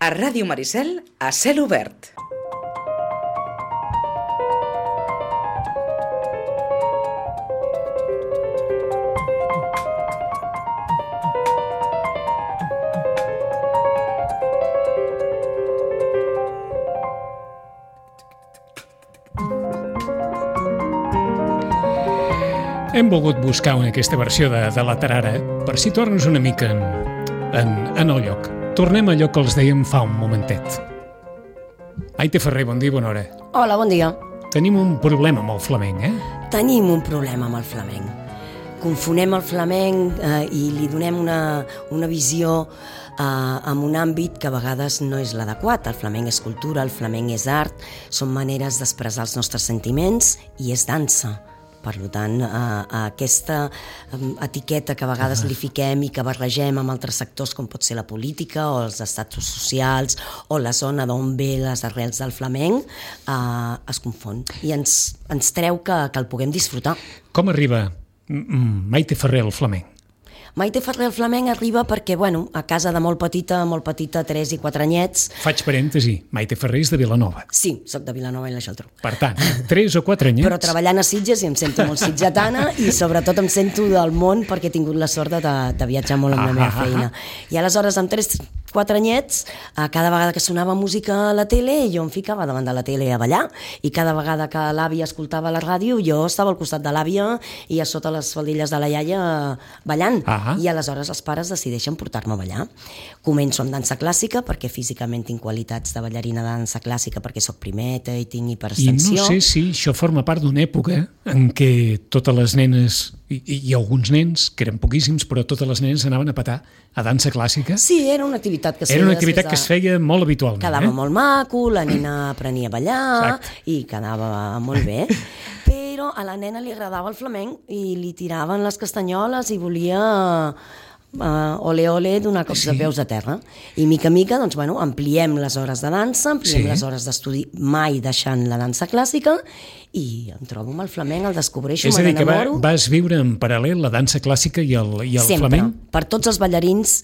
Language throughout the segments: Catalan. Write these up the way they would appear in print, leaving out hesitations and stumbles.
A Ràdio Maricel, a cel obert. Hem volgut buscar aquesta versió de la tarara per situar-nos una mica en el lloc. Tornem a allò que els dèiem fa un momentet. Maite Ferrer, bon dia, bona hora. Hola, bon dia. Tenim un problema amb el flamenc, Tenim un problema amb el flamenc. Confonem el flamenc i li donem una visió en un àmbit que a vegades no és l'adequat. El flamenc és cultura, el flamenc és art, són maneres d'expressar els nostres sentiments i és dansa. Per tant, aquesta etiqueta que a vegades li fiquem i que barregem amb altres sectors com pot ser la política o els estatus socials o la zona d'on ve les arrels del flamenc es confon i ens treu que el puguem disfrutar. Com arriba Maite Ferrer al flamenc? Maite Ferrer al flamenc arriba perquè, a casa de molt petita, 3 i 4 anyets... Faig parèntesi, Maite Ferrer és de Vilanova. Sí, soc de Vilanova i la Geltrú. Per tant, 3 o 4 anyets... Però treballant a Sitges i em sento molt sitgetana i sobretot em sento del món perquè he tingut la sort de viatjar molt amb la meva feina. I aleshores, amb 4 anyets, cada vegada que sonava música a la tele, jo em ficava davant de la tele a ballar i cada vegada que l'àvia escoltava la ràdio, jo estava al costat de l'àvia i a sota les faldilles de la iaia ballant. I aleshores els pares decideixen portar-me a ballar. Començo amb dansa clàssica perquè físicament tinc qualitats de ballarina de dansa clàssica perquè soc primeta i tinc hiperextensió. I no sé si això forma part d'una època en què totes les nenes i alguns nens, que eren poquíssims, però totes les nenes anaven a petar a dansa clàssica. Sí, era una activitat que es feia molt habitualment. Quedava molt maco, la nena aprenia a ballar i quedava molt bé. Però a la nena li agradava el flamenc i li tiraven les castanyoles i volia ole donar cops de peus a terra. I mica a mica ampliem les hores de dansa, ampliem les hores d'estudi, mai deixant la dansa clàssica, i em trobo amb el flamenc, el descobreixo, me n'enamoro. És a dir, que vas viure en paral·lel la dansa clàssica i el flamenc? Sempre. Per tots els ballarins,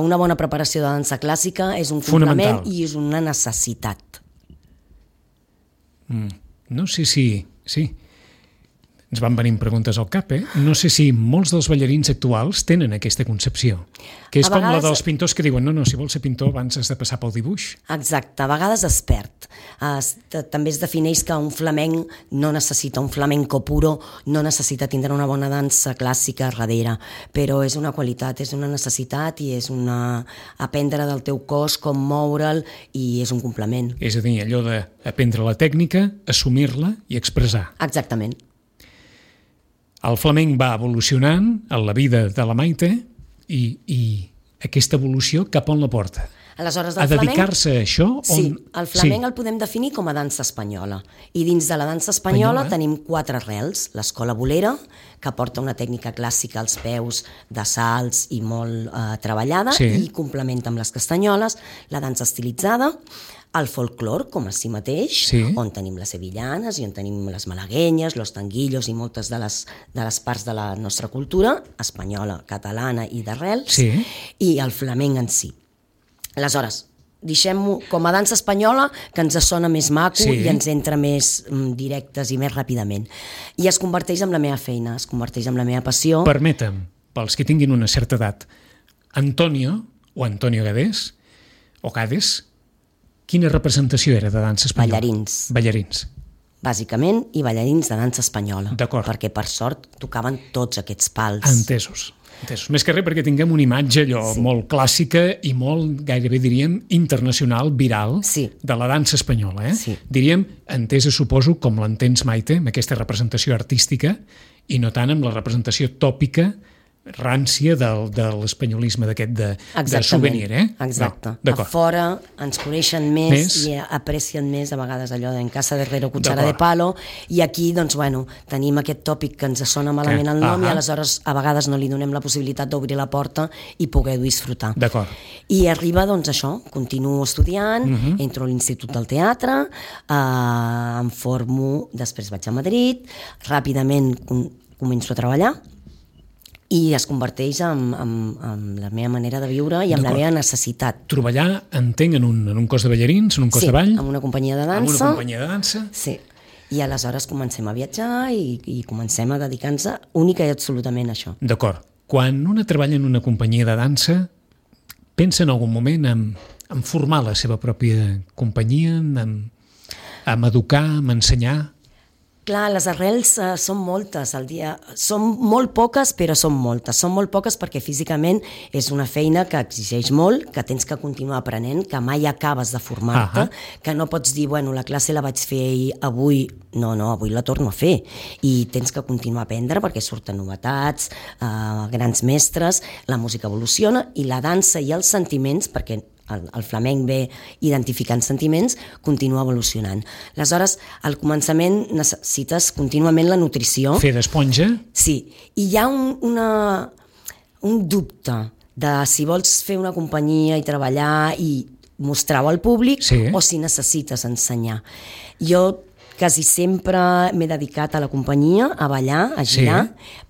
una bona preparació de dansa clàssica és un complement i és una necessitat. No sé si... Sí. Ens van venint preguntes al cap, No sé si molts dels ballarins actuals tenen aquesta concepció, que és com la dels pintors que diuen no, si vols ser pintor abans has de passar pel dibuix. Exacte, a vegades es perd. També es defineix que un flamenc no necessita, un flamenco puro no necessita tindre una bona dansa clàssica darrere, però és una qualitat, és una necessitat i és aprendre del teu cos, com moure'l, i és un complement. És a dir, allò d'aprendre la tècnica, assumir-la i expressar. Exactament. El flamenc va evolucionant en la vida de la Maite i aquesta evolució cap on la porta? Aleshores, a dedicar-se a això? Sí, el flamenc el podem definir com a dansa espanyola. I dins de la dansa espanyola tenim 4 arrels. L'escola bolera, que porta una tècnica clàssica als peus de salts i molt treballada, i complementa amb les castanyoles, la dansa estilitzada, el folklore, com a si mateix, on tenim les sevillanes i on tenim les malaguenyes, los tanguillos i moltes de les parts de la nostra cultura, espanyola, catalana i d'arrels, i el flamenc en si. Aleshores, deixem-ho com a dansa espanyola, que ens sona més maco i ens entra més directes i més ràpidament. I es converteix en la meva feina, es converteix en la meva passió. Permetem, pels que tinguin una certa edat, Antonio Gades, o Gades, quina representació era de dansa espanyola? Ballarins. Bàsicament, i ballarins de dansa espanyola. D'acord. Perquè, per sort, tocaven tots aquests pals. Entesos. Més que res perquè tinguem una imatge molt clàssica i molt, gairebé diríem, internacional, viral, de la dansa espanyola. Diríem, entesa, suposo, com l'entens, Maite, amb aquesta representació artística i no tant amb la representació tòpica rància de l'espanyolisme d'aquest de souvenir, Exacte. A fora ens coneixen més i aprecien més a vegades allò d'en casa de herrero cuchara de palo, i aquí, tenim aquest tòpic que ens sona malament el nom i aleshores a vegades no li donem la possibilitat d'obrir la porta i poder-ho disfrutar. D'acord. I arriba, això, continuo estudiant, entro a l'Institut del Teatre, em formo, després vaig a Madrid, ràpidament començo a treballar, i es converteix en la meva manera de viure i en la meva necessitat. Treballar, entenc, en un cos de ballarins, en un cos de ball? Sí, en una companyia de dansa. En una companyia de dansa? Sí. I aleshores comencem a viatjar i comencem a dedicar-nos única i absolutament a això. D'acord. Quan una treballa en una companyia de dansa, pensa en algun moment en formar la seva pròpia companyia, en educar, en ensenyar? Clar, les arrels són moltes al dia. Són molt poques, però són moltes. Són molt poques perquè físicament és una feina que exigeix molt, que tens que continuar aprenent, que mai acabes de formar-te, que no pots dir, bueno, la classe la vaig fer avui, no, avui la torno a fer. I tens que continuar a aprendre perquè surten novetats, grans mestres, la música evoluciona i la dansa i els sentiments, perquè el flamenc ve identificant sentiments, continua evolucionant. Aleshores, al començament necessites contínuament la nutrició. Fer d'esponja? Sí, i hi ha un dubte de si vols fer una companyia i treballar i mostrar-ho al públic o si necessites ensenyar. Jo quasi sempre m'he dedicat a la companyia, a ballar, a girar,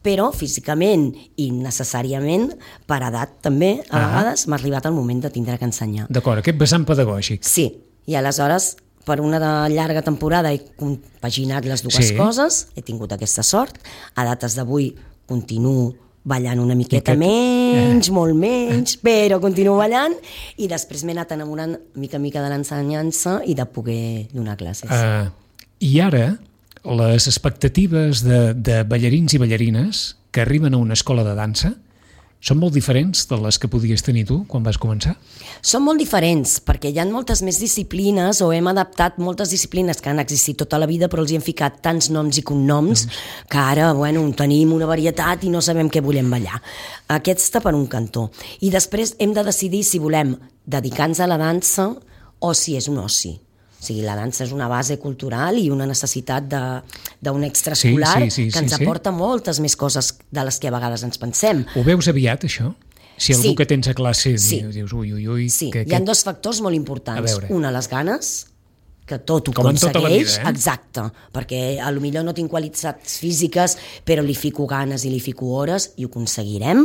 però físicament i necessàriament, per edat també, a vegades m'ha arribat el moment de tindre que ensenyar. D'acord, aquest vessant pedagògic. Sí, i aleshores, per una llarga temporada he compaginat les dues coses, he tingut aquesta sort, a dates d'avui continuo ballant una miqueta menys, molt menys, però continuo ballant i després m'he anat enamorant mica en mica de l'ensenyança i de poder donar classes. I ara, les expectatives de ballarins i ballarines que arriben a una escola de dansa són molt diferents de les que podies tenir tu quan vas començar? Són molt diferents, perquè hi ha moltes més disciplines o hem adaptat moltes disciplines que han existit tota la vida però els hi hem ficat tants noms i cognoms que ara tenim una varietat i no sabem què volem ballar. Aquesta per un cantó. I després hem de decidir si volem dedicar-nos a la dansa o si és un oci. O sigui, la dansa és una base cultural i una necessitat d'un extraescolar que ens aporta moltes més coses de les que a vegades ens pensem. Ho veus aviat, això? Si algú que tens a classe dius ui... Sí, hi ha dos factors molt importants. Una, les ganes, que tot ho com aconsegueix. En tota la vida, Exacte, perquè potser no tinc qualitats físiques, però li fico ganes i li fico hores i ho aconseguirem,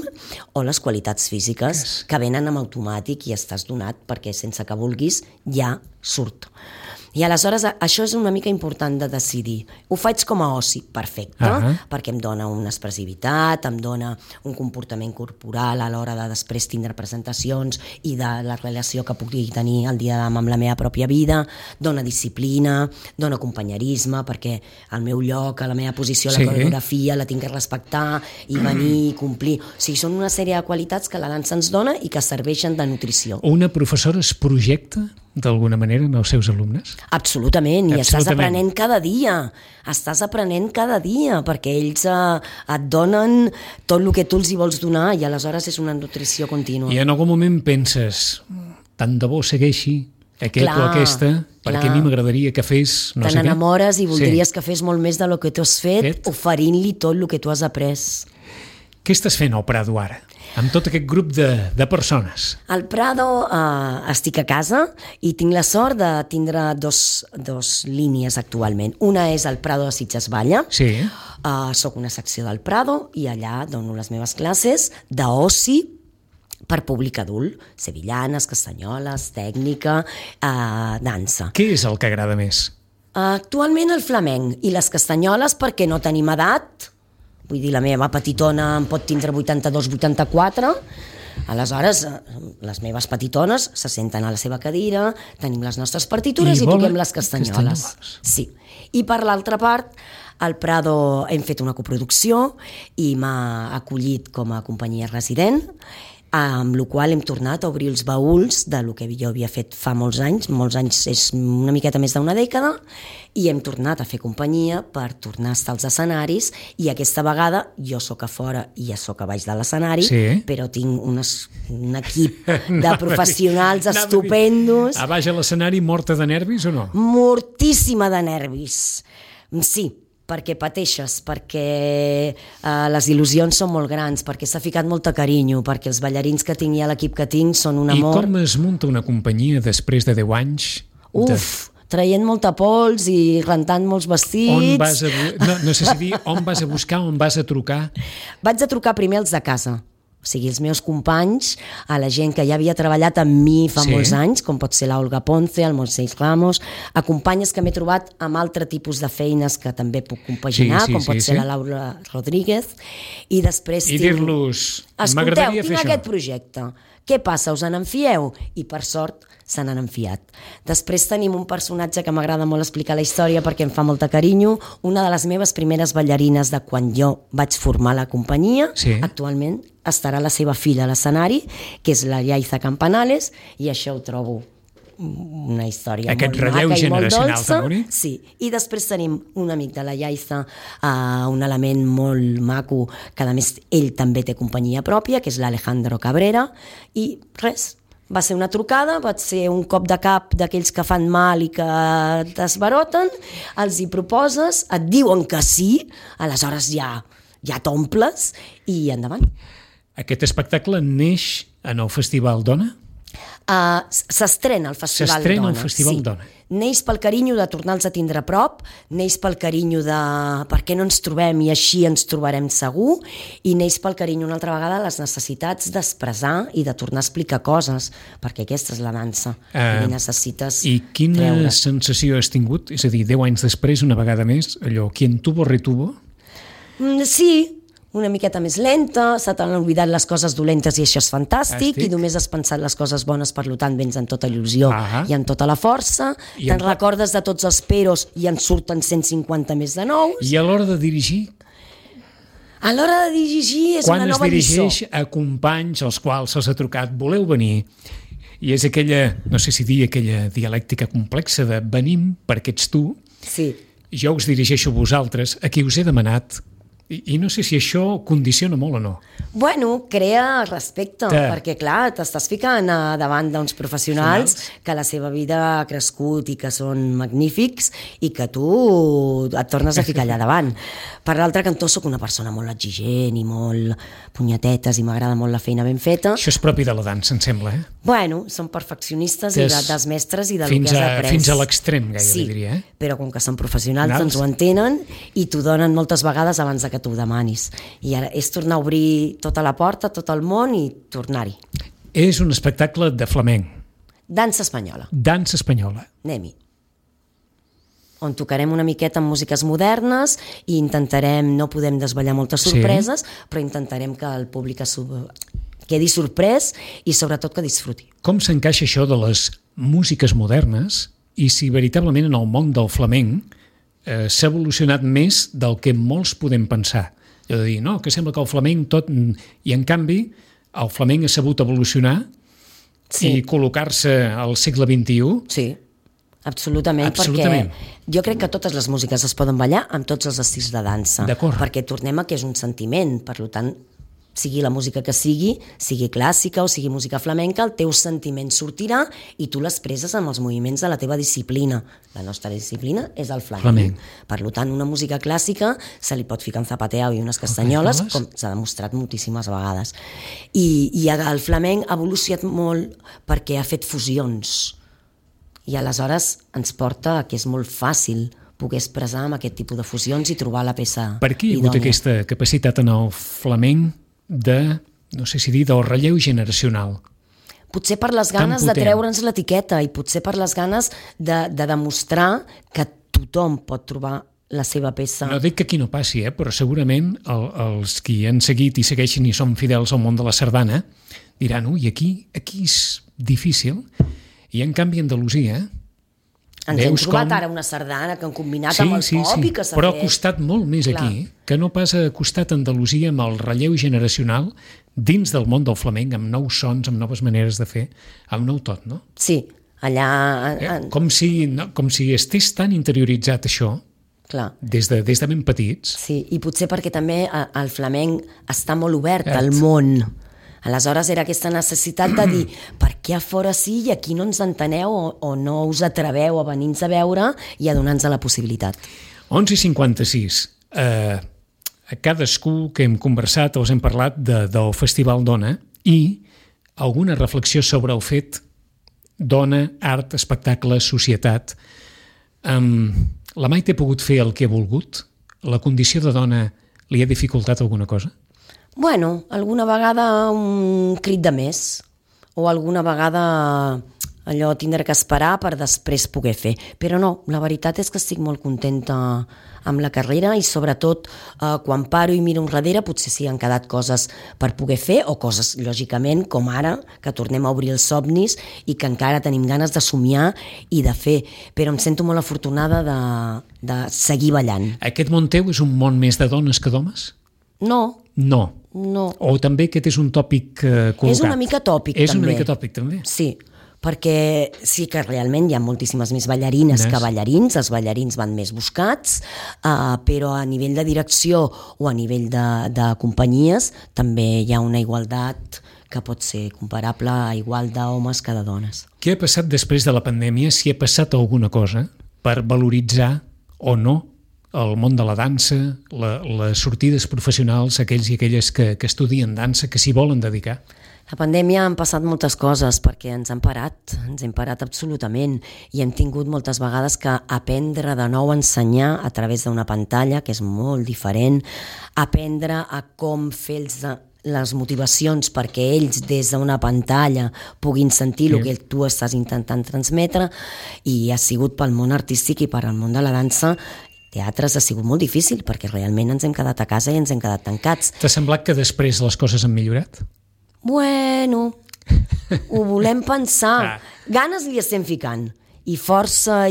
o les qualitats físiques que venen amb automàtic i estàs donat perquè sense que vulguis ja surt. I aleshores això és una mica important de decidir. Ho faig com a oci, perfecte, perquè em dona una expressivitat, em dona un comportament corporal a l'hora de després tindre presentacions i de la relació que pugui tenir el dia amb la meva pròpia vida, dona disciplina, dona companyerisme, perquè el meu lloc, la meva posició, la coreografia, la tinc que respectar i venir i complir. O sigui, són una sèrie de qualitats que la dansa ens dona i que serveixen de nutrició. Una professora es projecta d'alguna manera en els seus alumnes? Absolutament, i estàs aprenent cada dia, perquè ells et donen tot el que tu els hi vols donar i aleshores és una nutrició contínua. I en algun moment penses, tant de bo segueixi aquest o aquesta, perquè a mi m'agradaria que fes no sé què. Te n'enamores i voldries que fes molt més del que tu has fet, oferint-li tot el que tu has après. Què estàs fent al Prado ara? Amb tot aquest grup de persones? Al Prado estic a casa i tinc la sort de tindre dos línies actualment. Una és el Prado de Sitges Balla. Sí. Soc una secció del Prado i allà dono les meves classes d'oci per públic adult. Sevillanes, castanyoles, tècnica, dansa. Què és el que agrada més? Actualment el flamenc i les castanyoles perquè no tenim edat. Vull dir, la meva petitona em pot tindre 82-84, aleshores les meves petitones se senten a la seva cadira, tenim les nostres partitures i toquem les castanyoles. Sí. I per l'altra part, al Prado hem fet una coproducció i m'ha acollit com a companyia resident, amb la qual hem tornat a obrir els baúls de lo que jo havia fet fa molts anys és una miqueta més d'una dècada, i hem tornat a fer companyia per tornar a estar als escenaris, i aquesta vegada jo sóc a fora i ja sóc a baix de l'escenari, però tinc un equip de professionals estupendos. A baix a l'escenari morta de nervis o no? Mortíssima de nervis, sí, perquè pateixes, perquè les il·lusions són molt grans, perquè s'ha ficat molt de carinyo, perquè els ballarins que tinc i l'equip que tinc són un amor. I com es munta una companyia després de 10 anys? traient molta pols i rentant molts vestits. No sé si dir on vas a buscar, on vas a trucar. Vaig a trucar primer als de casa, o sigui, els meus companys, a la gent que ja havia treballat amb mi fa molts anys, com pot ser l'Olga Ponce, el Moisés Ramos, a companyes que m'he trobat amb altre tipus de feines que també puc compaginar, com pot ser la Laura Rodríguez, i després dir-los, m'agradaria fer això. Tinc aquest projecte, què passa, us en enfieu? I per sort se n'han enfiat. Després tenim un personatge que m'agrada molt explicar la història perquè em fa molta carinyo, una de les meves primeres ballarines de quan jo vaig formar la companyia, actualment estarà la seva filla a l'escenari, que és la Yaiza Campanales, i això ho trobo una història molt maca i molt dolça. Sí. I després tenim un amic de la Yaiza, un element molt maco, que a més ell també té companyia pròpia, que és l'Alejandro Cabrera, i res, va ser una trucada, va ser un cop de cap d'aquells que fan mal i que t'esbaroten, els hi proposes, et diuen que sí, aleshores ja t'omples i endavant. Aquest espectacle neix en el Festival Dona? S'estrena al Festival Dona. S'estrena al Festival Dona. Neix pel carinyo de tornar-los a tindre a prop, neix pel carinyo de per què no ens trobem i així ens trobarem segur, i neix pel carinyo una altra vegada les necessitats d'expressar i de tornar a explicar coses, perquè aquesta és la dansa, i necessites I quina sensació has tingut? És a dir, 10 anys després, una vegada més, allò, quien tuvo retuvo? Sí, una miqueta més lenta, se t'han oblidat les coses dolentes i això és fantàstic, i només has pensat les coses bones, per tant vens en tota il·lusió i en tota la força, te'n recordes de tots els peros i en surten 150 més de nous. I a l'hora de dirigir? A l'hora de dirigir és una nova lliçó. Quan es dirigeix a companys als quals se'ls ha trucat, voleu venir? I és aquella, no sé si dir, aquella dialèctica complexa de venim perquè ets tu, jo us dirigeixo a vosaltres, a qui us he demanat. I no sé si això condiciona molt o no. Bueno, crea respecte, perquè clar, t'estàs ficant davant d'uns professionals que la seva vida ha crescut i que són magnífics i que tu et tornes a ficar allà davant. Per l'altre cantó sóc una persona molt exigent i molt punyetetes i m'agrada molt la feina ben feta. Això és propi de la dansa, em sembla, Bueno, són perfeccionistes i dels mestres i del que has après. Fins a l'extrem, gairebé diria. Però com que són professionals, doncs ho entenen i t'ho donen moltes vegades abans que tu ho demanis. I ara és tornar a obrir tota la porta, tot el món i tornar-hi. És un espectacle de flamenc. Dansa espanyola. Dansa espanyola. Anem-hi. On tocarem una miqueta amb músiques modernes i intentarem, no podem desvetllar moltes sorpreses, però intentarem que el públic quedi sorprès i sobretot que disfruti. Com s'encaixa això de les músiques modernes i si veritablement en el món del flamenc s'ha evolucionat més del que molts podem pensar? Allò de dir, no, que sembla que el flamenc tot... I en canvi, el flamenc ha sabut evolucionar i col·locar-se al segle XXI. Sí, absolutament. Perquè jo crec que totes les músiques es poden ballar amb tots els estils de dansa. D'acord. Perquè tornem a que és un sentiment, per tant, sigui la música que sigui clàssica o sigui música flamenca, el teu sentiment sortirà i tu l'expresses amb els moviments de la teva disciplina. La nostra disciplina és el flamenc. Per tant, una música clàssica se li pot ficar en zapateo i unes castanyoles, com s'ha demostrat moltíssimes vegades. I el flamenc ha evolucionat molt perquè ha fet fusions. I aleshores ens porta a que és molt fàcil poder expressar amb aquest tipus de fusions i trobar la peça idònia. Per què hi ha hagut aquesta capacitat en el flamenc de, no sé si dir, del relleu generacional? Potser per les ganes de treure'ns l'etiqueta i potser per les ganes de demostrar que tothom pot trobar la seva peça. No dic que aquí no passi, però segurament els qui han seguit i segueixen i són fidels al món de la sardana diran, ui, aquí és difícil. I en canvi Andalusia... Ens hem trobat ara una sardana que han combinat amb el pop i que s'ha fet... Però ha costat molt més aquí, que no pas ha costat Andalusia amb el relleu generacional dins del món del flamenc, amb nous sons, amb noves maneres de fer, amb nou tot, no? Sí, allà... Com si estés tan interioritzat això, des de ben petits. Sí, i potser perquè també el flamenc està molt obert al món. Aleshores era aquesta necessitat de dir per què a fora sí i aquí no ens enteneu o no us atreveu a venir-nos a veure i a donar-nos la possibilitat. 11:56. A cadascú que hem conversat o us hem parlat del Festival Dona i alguna reflexió sobre el fet dona, art, espectacle, societat. La Maite ha pogut fer el que ha volgut? La condició de dona li ha dificultat alguna cosa? Bueno, alguna vegada un crit de més, o alguna vegada allò tindre que esperar per després poder fer. Però no, la veritat és que estic molt contenta amb la carrera i sobretot quan paro i miro enrere potser sí han quedat coses per poder fer o coses, lògicament, com ara, que tornem a obrir els somnis i que encara tenim ganes de somiar i de fer. Però em sento molt afortunada de seguir ballant. Aquest món teu és un món més de dones que d'homes? No. No. O també aquest és un tòpic col·locat? És una mica tòpic, també. És una mica tòpic, també? Sí, perquè sí que realment hi ha moltíssimes més ballarines que ballarins, els ballarins van més buscats, però a nivell de direcció o a nivell de companyies també hi ha una igualtat que pot ser comparable a igual d'homes que de dones. Què ha passat després de la pandèmia, si ha passat alguna cosa, per valoritzar o no el món de la dansa, les sortides professionals, aquells i aquelles que estudien dansa, que s'hi volen dedicar? La pandèmia han passat moltes coses perquè ens hem parat absolutament i hem tingut moltes vegades que aprendre de nou a ensenyar a través d'una pantalla, que és molt diferent, aprendre a com fer les motivacions perquè ells des d'una pantalla puguin sentir el que tu estàs intentant transmetre, i ha sigut pel món artístic i per al món de la dansa. Teatres ha sigut molt difícil perquè realment ens hem quedat a casa i ens hem quedat tancats. T'ha semblat que després les coses han millorat? Bueno, ho volem pensar. Ganes li estem ficant, i força,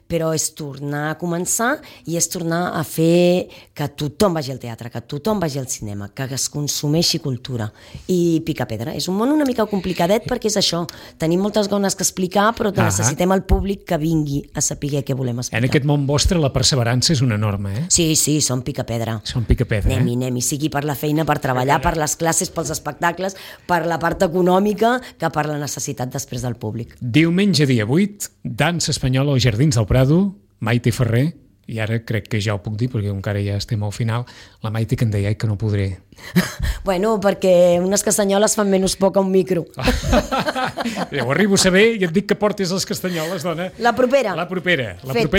però és tornar a començar i és tornar a fer que tothom vagi al teatre, que tothom vagi al cinema, que es consumeixi cultura i picar pedra. És un món una mica complicadet perquè és això, tenim moltes coses que explicar però necessitem el públic que vingui a saber què volem explicar. En aquest món vostre la perseverança és una norma, eh? Sí, som picar pedra. Som picar pedra, anem, sigui per la feina, per treballar, per les classes, pels espectacles, per la part econòmica, que per la necessitat després del públic. Diumenge dia 8, dansa espanyola als Jardins del Prado, Maite Ferrer, i ara crec que ja ho puc dir perquè encara ja estem al final, la Maite que em deia que no podré. Bueno, perquè unes castanyoles fan menys poc a un micro. Ja ho arribo a saber i et dic que portis les castanyoles, dona. La propera. La propera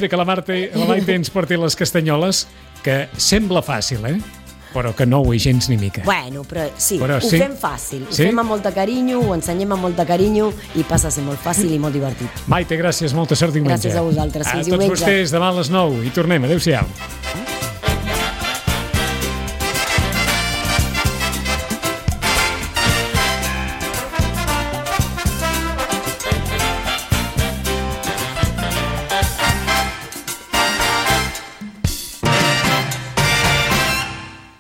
que la Maite ens porti les castanyoles, que sembla fàcil, però que no ho és gens ni mica. Bueno, però ho fem fàcil, ho fem amb molt de carinyo, ho ensenyem amb molt de carinyo i passa a ser molt fàcil i molt divertit. Maite, gràcies, molta sort diumenge. Gràcies a vosaltres, fins diumenge. A tots vostès, demà a les 9 i tornem, adéu-siau.